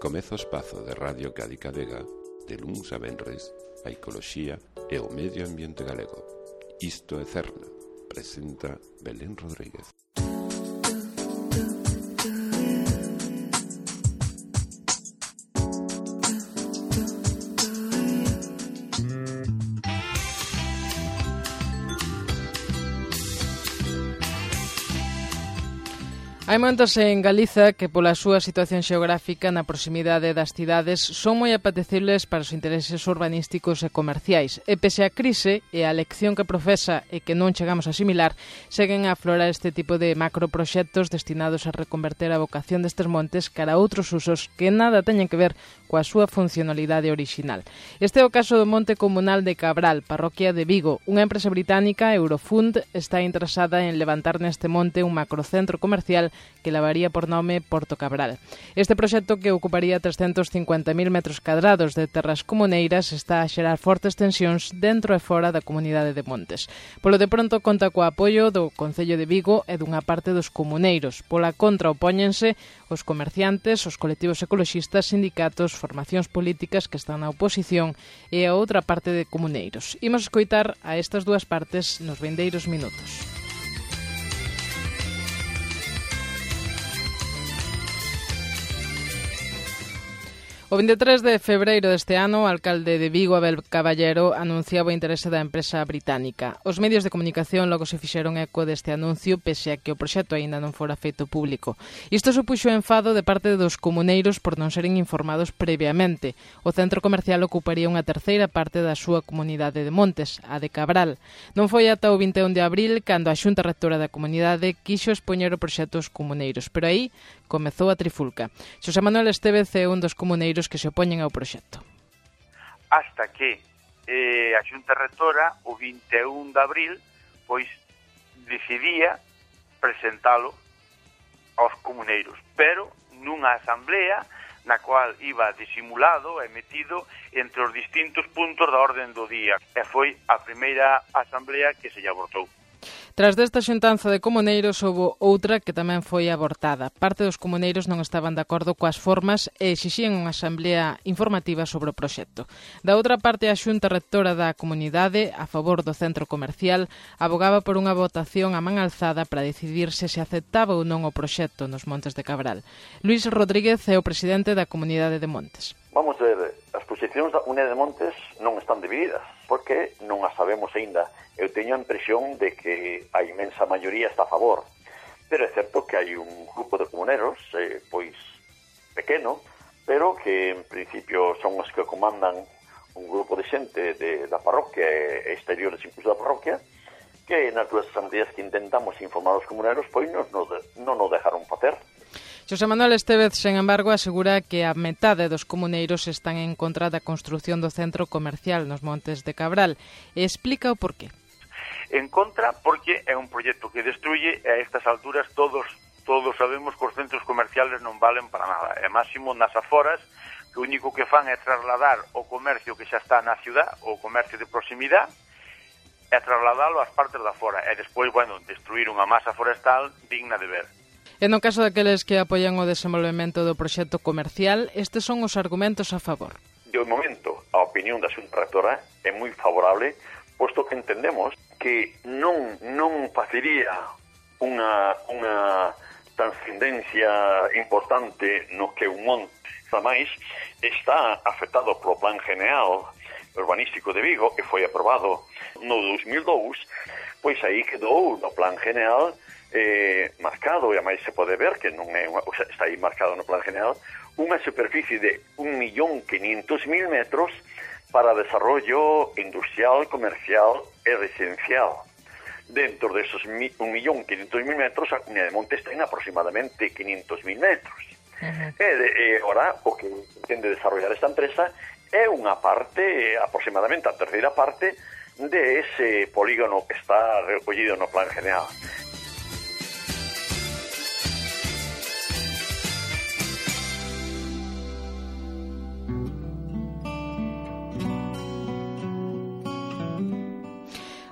Comeza o espazo de Radio Cádiz Vega de luns a venres, a ecoloxía e o medio ambiente galego. Isto é Cerna, presenta Belén Rodríguez. Hai momentos en Galiza que pola súa situación xeográfica na proximidade das cidades son moi apetecibles para os intereses urbanísticos e comerciais e pese a crise e a lección que profesa e que non chegamos a asimilar, seguen a aflorar este tipo de macroproxectos destinados a reconverter a vocación destes montes cara a outros usos que nada teñen que ver coa súa funcionalidade orixinal. Este é o caso do Monte Comunal de Cabral, parroquia de Vigo. Unha empresa británica, Eurofund, está interesada en levantar neste monte un macrocentro comercial que levaría por nome Porto Cabral. Este proxecto, que ocuparía 350.000 metros cadrados de terras comuneiras, está a xerar fortes tensións dentro e fora da comunidade de Montes. Polo de pronto conta co apoio do Concello de Vigo e dunha parte dos comuneiros. Pola contra opóñense os comerciantes, os colectivos ecoloxistas, sindicatos, formacións políticas que están na oposición e a outra parte de comuneiros. Imos escoitar a estas dúas partes nos vindeiros minutos. O 23 de febreiro deste ano, o alcalde de Vigo, Abel Caballero, anunciaba o interese da empresa británica. Os medios de comunicación logo se fixeron eco deste anuncio, pese a que o proxecto aínda non fora feito público. Isto supuxo enfado de parte dos comuneiros por non seren informados previamente. O centro comercial ocuparía unha terceira parte da súa comunidade de Montes, a de Cabral. Non foi ata o 21 de abril cando a Xunta Rectora da comunidade quixo expoñer o proxecto aos comuneiros, pero aí comezou a trifulca. Xosé Manuel Estévez é un dos comuneiros que se opoñen ao proxecto. Hasta que a Xunta Rectora, o 21 de abril, pois decidía presentalo aos comuneiros, pero nunha asamblea na cual iba disimulado e metido entre os distintos puntos da orden do día. E foi a primeira asamblea que se lle abortou. Tras desta xuntanza de comuneiros, houve outra que tamén foi abortada. Parte dos comuneiros non estaban de acordo coas formas e exixían unha asamblea informativa sobre o proxecto. Da outra parte, a Xunta Rectora da comunidade, a favor do centro comercial, abogaba por unha votación a man alzada para decidir se aceptaba ou non o proxecto nos Montes de Cabral. Luís Rodríguez é o presidente da comunidade de Montes. Vamos ver, as posicións da comunidade de Montes non están divididas, porque non as sabemos aínda. Eu teño a impresión de que a inmensa maioría está a favor, pero é certo que hai un grupo de comuneros, pois pequeno, pero que en principio son os que comandan un grupo de xente da parroquia e exteriores incluso da parroquia, que nas dúas asambleas que intentamos informar os comuneros, pois non o dejaron facer. Xosé Manuel Estévez, sen embargo, asegura que a metade dos comuneiros están en contra da construción do centro comercial nos Montes de Cabral e explica o porqué. En contra porque é un proxecto que destruye e a estas alturas todos sabemos que os centros comerciales non valen para nada. E máximo nas aforas, que o único que fan é trasladar o comercio que xa está na ciudad, o comercio de proximidade, e trasladalo ás partes da fora. E despois, destruir unha masa forestal digna de ver. E no caso daqueles que apoian o desenvolvemento do proxecto comercial, estes son os argumentos a favor. De momento, a opinión da Xunta Rectora é moi favorable, posto que entendemos que non facería unha transcendencia importante no que un monte. Ademais, está afectado polo Plan General Urbanístico de Vigo, que foi aprobado no 2002, pois aí quedou no Plan General marcado, e a máis se pode ver que non é está aí marcado no Plan General, unha superficie de 1.500.000 metros para desarrollo industrial, comercial e residencial. Dentro de esos 1.500.000 metros, a comunidade de Montes ten aproximadamente 500.000 metros. E ahora, o que pretende desarrollar esta empresa é unha parte, aproximadamente a terceira parte, de ese polígono que está recollido no Plan General.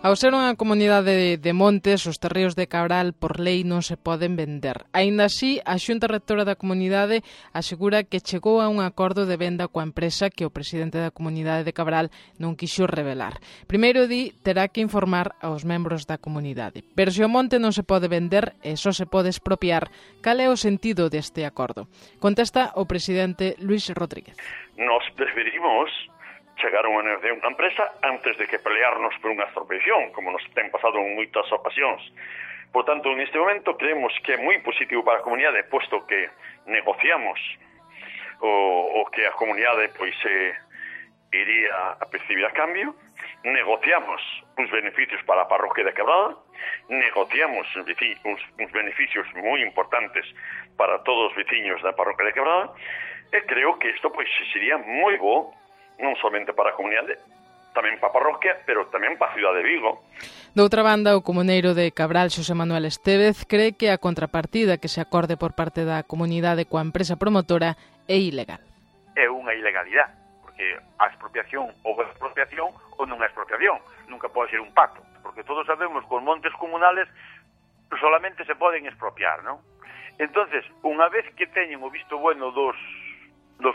Ao ser unha comunidade de montes, os terreos de Cabral por lei non se poden vender. Aínda así, a Xunta Rectora da comunidade asegura que chegou a un acordo de venda coa empresa que o presidente da comunidade de Cabral non quixo revelar. Primeiro di, terá que informar aos membros da comunidade. Pero se o monte non se pode vender e só se pode expropiar, cal é o sentido deste acordo? Contesta o presidente Luis Rodríguez. Nos preferimos chegar a unha negociación con a empresa antes de que pelearnos por unha expropiación, como nos ten pasado en moitas ocasións. Por tanto, neste momento creemos que é moi positivo para a comunidade, posto que negociamos o que a comunidade pois iría a percibir a cambio, negociamos uns beneficios para a parroquia de Cabral, negociamos uns beneficios moi importantes para todos os veciños da parroquia de Cabral, e creo que isto pois sería moi bo non somente para a comunidade, tamén para a parroquia, pero tamén para a cidade de Vigo. Doutra banda, o comuneiro de Cabral, Xosé Manuel Estévez, cree que a contrapartida que se acorde por parte da comunidade coa empresa promotora é ilegal. É unha ilegalidade, porque a expropiación ou a expropiación ou non é expropiación, nunca pode ser un pacto, porque todos sabemos que os montes comunales solamente se poden expropiar, non? Entonces, unha vez que teñen o visto bueno dos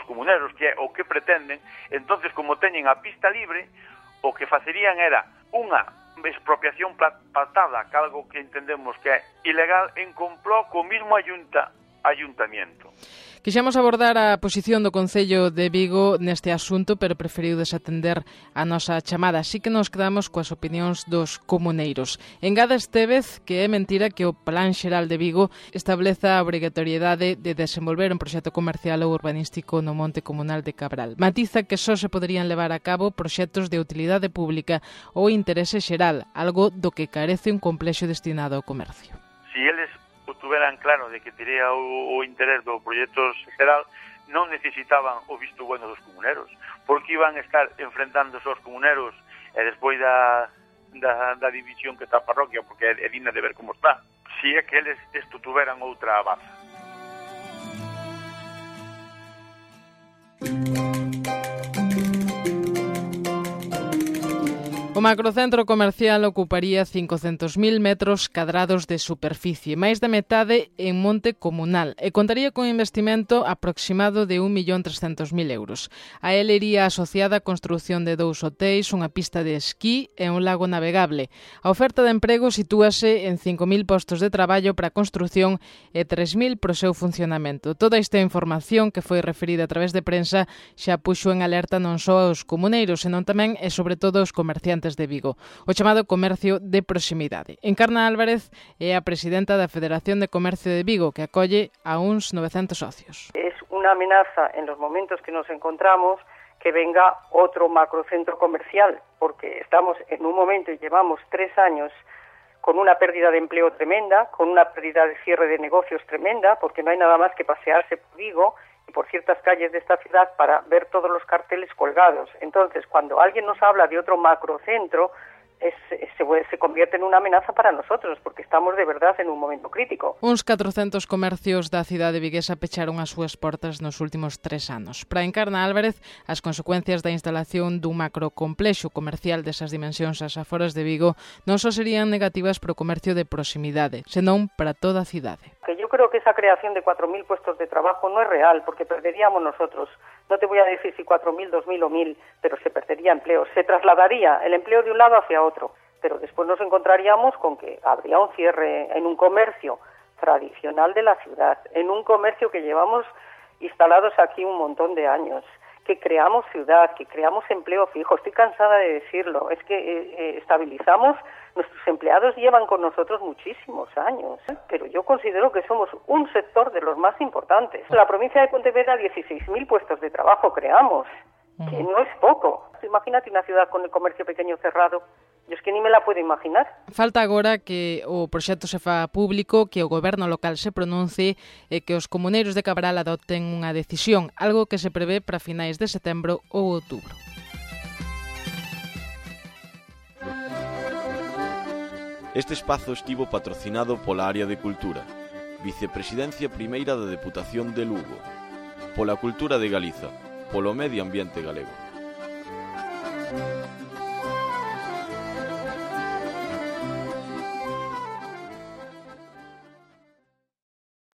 comuneros, que é o que pretenden, entonces como teñen a pista libre, o que facerían era unha expropiación pactada, que algo que entendemos que é ilegal, en complot co mismo ayuntamiento. Quixemos abordar a posición do Concello de Vigo neste asunto, pero preferiu desatender a nosa chamada. Así que nos quedamos coas opinións dos comuneiros. Engada Estévez que é mentira que o Plan Xeral de Vigo estableza a obrigatoriedade de desenvolver un proxecto comercial ou urbanístico no monte comunal de Cabral. Matiza que só se poderían levar a cabo proxectos de utilidade pública ou interese xeral, algo do que carece un complexo destinado ao comercio. Si eles tuveran claro de que tería o interés do proxecto xeral, non necesitaban o visto bueno dos comuneros, porque iban a estar enfrentándose aos comuneros e despois da división que está a parroquia, porque é digna de ver como está, si é que eles tuveran outra baza. O macrocentro comercial ocuparía 500.000 metros cadrados de superficie, máis da metade en monte comunal, e contaría con investimento aproximado de 1.300.000 euros. A él iría asociada a construción de 2 hotéis, unha pista de esquí e un lago navegable. A oferta de emprego sitúase en 5.000 postos de traballo para a construción e 3.000 para o seu funcionamento. Toda esta información que foi referida a través de prensa xa puxo en alerta non só aos comuneiros, senón tamén e sobre todo aos comerciantes de Vigo, o chamado comercio de proximidade. Encarna Álvarez é a presidenta da Federación de Comercio de Vigo, que acolle a uns 900 socios. Es una amenaza en los momentos que nos encontramos que venga otro macrocentro comercial, porque estamos en un momento y llevamos 3 años con una pérdida de empleo tremenda, con una pérdida de cierre de negocios tremenda, porque no hay nada más que pasearse por Vigo y por ciertas calles de esta ciudad para ver todos los carteles colgados. Entonces, cuando alguien nos habla de otro macrocentro, se convierte en una amenaza para nosotros, porque estamos de verdad en un momento crítico. Uns 400 comercios da cidade viguesa pecharon as súas portas nos últimos 3 anos. Para Encarna Álvarez, as consecuencias da instalación dun macrocomplexo comercial desas dimensións ás aforas de Vigo non só serían negativas para o comercio de proximidade, senón para toda a cidade. Que yo creo que esa creación de 4.000 puestos de trabajo no es real, porque perderíamos nosotros. No te voy a decir si 4.000, 2.000 o 1.000, pero se perdería empleo. Se trasladaría el empleo de un lado hacia otro, pero después nos encontraríamos con que habría un cierre en un comercio tradicional de la ciudad, en un comercio que llevamos instalados aquí un montón de años, que creamos ciudad, que creamos empleo fijo. Estoy cansada de decirlo, es que estabilizamos. Nuestros empleados llevan con nosotros muchísimos años, pero yo considero que somos un sector de los más importantes. En la provincia de Pontevedra 16.000 puestos de trabajo creamos, que no es poco. Imagínate una ciudad con el comercio pequeño cerrado. Yo es que ni me la puedo imaginar. Falta agora que o proxecto se fa público, que o goberno local se pronuncie e que os comuneiros de Cabral adopten unha decisión, algo que se prevé para finais de setembro ou outubro. Este espazo estivo patrocinado pola Área de Cultura, Vicepresidencia Primeira da Deputación de Lugo, pola Cultura de Galiza, polo Medio Ambiente Galego.